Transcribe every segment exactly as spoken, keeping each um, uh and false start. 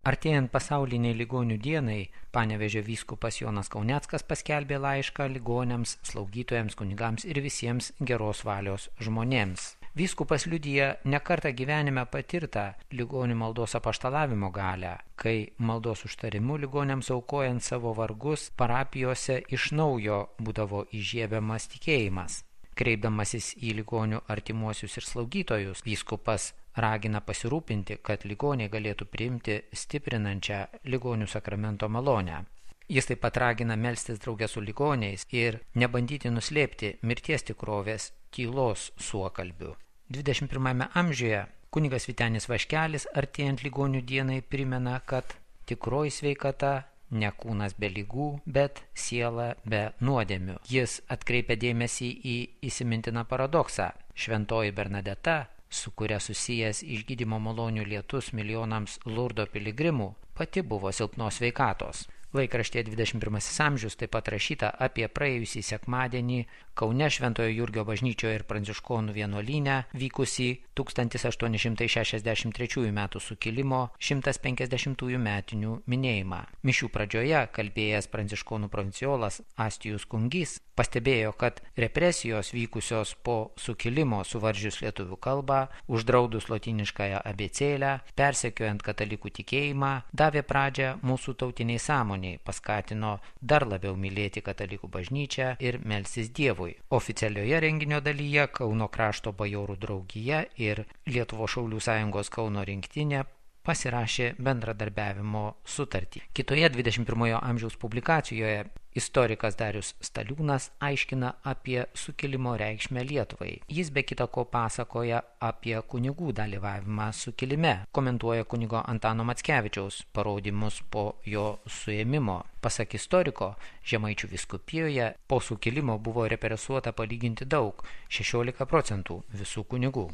Artėjant pasauliniai ligonių dienai, Panevėžio vyskupas Jonas Kauneckas paskelbė laišką ligoniams, slaugytojams, kunigams ir visiems geros valios žmonėms. Vyskupas liudija nekartą gyvenime patirtą ligonių maldos apaštalavimo galią, kai maldos užtarimu ligoniams aukojant savo vargus parapijose iš naujo būdavo įžiebiamas tikėjimas. Kreipdamasis į ligonių artimuosius ir slaugytojus, vyskupas ragina pasirūpinti, kad ligoniai galėtų priimti stiprinančią ligonių sakramento malonę. Jis taip pat ragina melstis drauge su ligoniais ir nebandyti nuslėpti mirties tikrovės tylos suokalbių. dvidešimt pirmame amžiuje kunigas Vytenis Vaškelis artėjant ligonių dienai primena, kad tikroji sveikata ne kūnas be ligų, bet siela be nuodėmių. Jis atkreipia dėmesį į įsimintiną paradoksą. Šventoji Bernadeta, su kuria susijęs išgydymo malonių lietus milijonams Lurdo piligrimų, pati buvo silpnos sveikatos. Laikraštyje dvidešimt pirmasis amžius taip pat rašyta apie praėjusį sekmadienį Kaune Šventojo Jurgio bažnyčioje ir Pranciškonų vienuolyne vykusį tūkstantis aštuoni šimtai šešiasdešimt trečiųjų metų sukilimo šimtas penkiasdešimtųjų metinių minėjimą. Mišių pradžioje kalbėjęs Pranciškonų provinciolas Astijus Kungys pastebėjo, kad represijos vykusios po sukilimo suvaržžius lietuvių kalbą, uždraudus lotyniškąją abėcėlę, persekiojant katalikų tikėjimą, davė pradžią mūsų tautiniai sąmoniai, paskatino dar labiau mylėti katalikų bažnyčią ir melstis Dievui. Oficialioje renginio dalyje Kauno krašto bajorų draugija ir Lietuvos šaulių sąjungos Kauno rinktinė pasirašė bendradarbiavimo sutartį. Kitoje dvidešimt pirmojo amžiaus publikacijoje istorikas Darius Staliūnas aiškina apie sukilimo reikšmę Lietuvai. Jis be kita ko pasakoja apie kunigų dalyvavimą sukilime, komentuoja kunigo Antano Mackevičiaus parodymus po jo suėmimo. Pasak istoriko, Žemaičių vyskupijoje po sukilimo buvo represuota palyginti daug – šešiolika procentų visų kunigų.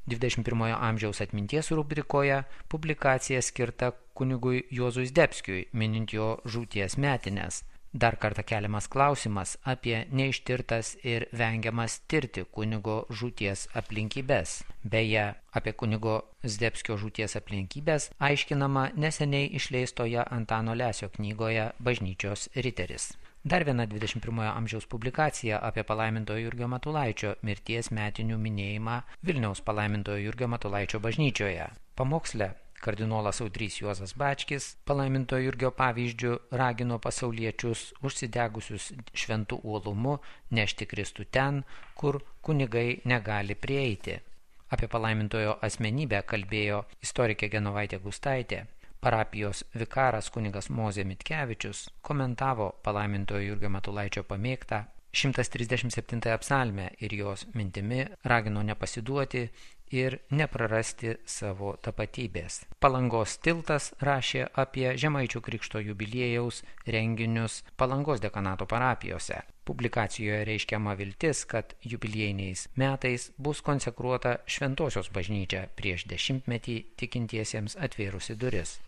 dvidešimt pirmojo amžiaus atminties rubrikoje publikacija skirta kunigui Juozui Zdebskiui, minint jo žūties metines. Dar kartą keliamas klausimas apie neištirtas ir vengiamas tirti kunigo žūties aplinkybės. Beje, apie kunigo Zdebskio žūties aplinkybės aiškinama neseniai išleistoje Antano Lesio knygoje Bažnyčios riteris. Dar viena dvidešimt pirmojo amžiaus publikacija apie palaimintojo Jurgio Matulaičio mirties metinių minėjimą Vilniaus palaimintojo Jurgio Matulaičio bažnyčioje. Pamoksle kardinolas Audrys Juozas Bačkis palaimintojo Jurgio pavyzdžiu ragino pasauliečius užsidegusius šventų uolumu nešti Kristų ten, kur kunigai negali prieiti. Apie palaimintojo asmenybę kalbėjo istorikė Genovaitė Gustaitė. Parapijos vikaras kunigas Mozė Mitkevičius komentavo palaimintojo Jurgio Matulaičio pamėgtą šimtas trisdešimt septintąją psalmę ir jos mintimi ragino nepasiduoti ir neprarasti savo tapatybės. Palangos tiltas rašė apie Žemaičių krikšto jubiliejaus renginius Palangos dekanato parapijose. Publikacijoje reiškiama viltis, kad jubiliejiniais metais bus konsekruota Šventosios bažnyčia prieš dešimtmetį tikintiesiems atvėrusi duris.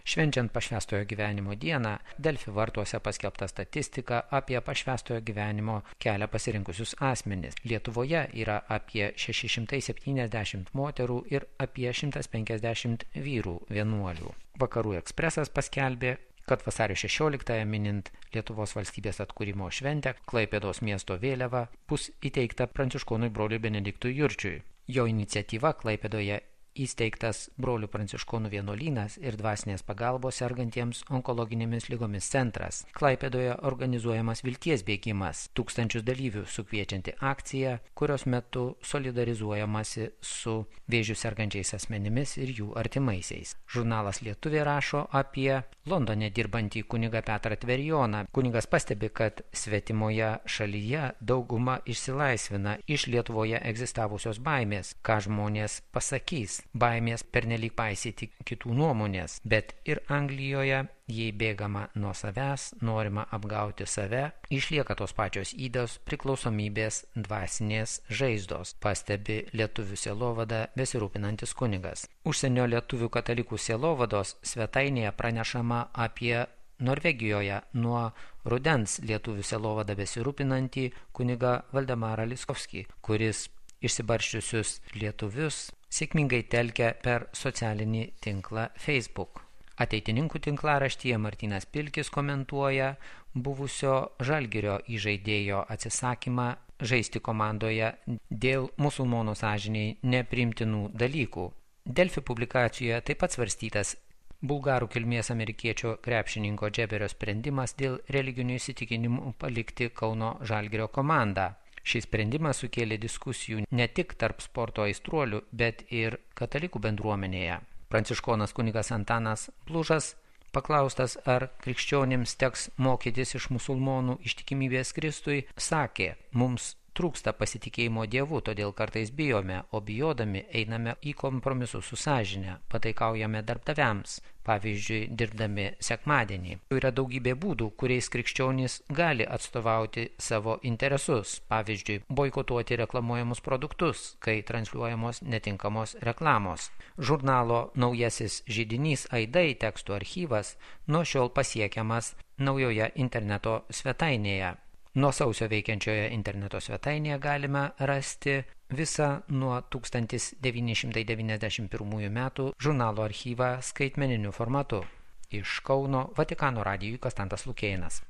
Švenčiant pašvęstojo gyvenimo dieną, Delfi vartuose paskelbta statistika apie pašvęstojo gyvenimo kelią pasirinkusius asmenis. Lietuvoje yra apie šeši šimtai septyniasdešimt moterų ir apie šimtas penkiasdešimt vyrų vienuolių. Vakarų ekspresas paskelbė, kad vasario šešioliktąją minint Lietuvos valstybės atkūrimo šventę, Klaipėdos miesto vėliava bus įteikta pranciškonui broliui Benediktui Jurčiui. Jo iniciatyva Klaipėdoje įsteigtas brolių pranciškonų vienuolynas ir dvasinės pagalbos sergantiems onkologinėmis ligomis centras. Klaipėdoje organizuojamas vilties bėgimas, tūkstančius dalyvių sukviečianti akcija, kurios metu solidarizuojamasi su vėžiu sergančiais asmenimis ir jų artimaisiais. Žurnalas Lietuvė rašo apie Londone dirbantį kunigą Petrą Tverijoną. Kunigas pastebi, kad svetimoje šalyje dauguma išsilaisvina iš Lietuvoje egzistavusios baimės, ką žmonės pasakys. Baimės pernelyg paisyti kitų nuomonės, bet ir Anglijoje, jei bėgama nuo savęs, norima apgauti save, išlieka tos pačios ydos priklausomybės dvasinės žaizdos, pastebi lietuvių sielovada besirūpinantis kunigas. Užsienio lietuvių katalikų sielovados svetainėje pranešama apie Norvegijoje nuo rudens lietuvių sielovada besirūpinantį kunigą Valdemarą Liskovskį, kuris išsibarščiusius lietuvius sėkmingai telkia per socialinį tinklą Facebook. Ateitininkų tinklaraštyje Martynas Pilkis komentuoja buvusio Žalgirio įžaidėjo atsisakymą žaisti komandoje dėl musulmonų sąžiniai nepriimtinų dalykų. Delfi publikacijoje taip pat svarstytas bulgarų kilmės amerikiečio krepšininko Džeberio sprendimas dėl religinių įsitikinimų palikti Kauno Žalgirio komandą. Šis sprendimas sukėlė diskusijų ne tik tarp sporto aistruolių, bet ir katalikų bendruomenėje. Pranciškonas kunigas Antanas Blužas, paklaustas, ar krikščionims teks mokytis iš musulmonų ištikimybės Kristui, sakė, mums trūksta pasitikėjimo Dievu, todėl kartais bijome, o bijodami einame į kompromisus su sąžine, pataikaujame darbdaviams, pavyzdžiui, dirbdami sekmadienį. Yra daugybė būdų, kuriais krikščionys gali atstovauti savo interesus, pavyzdžiui, boikotuoti reklamuojamus produktus, kai transliuojamos netinkamos reklamos. Žurnalo Naujasis židinys Aidai tekstų archyvas nuo šiol pasiekiamas naujoje interneto svetainėje. Nuo sausio veikiančioje interneto svetainėje galime rasti visą nuo tūkstantis devyni šimtai devyniasdešimt pirmųjų metų žurnalo archyvą skaitmeniniu formatu. Iš Kauno Vatikano radijui Konstantas Lukėnas.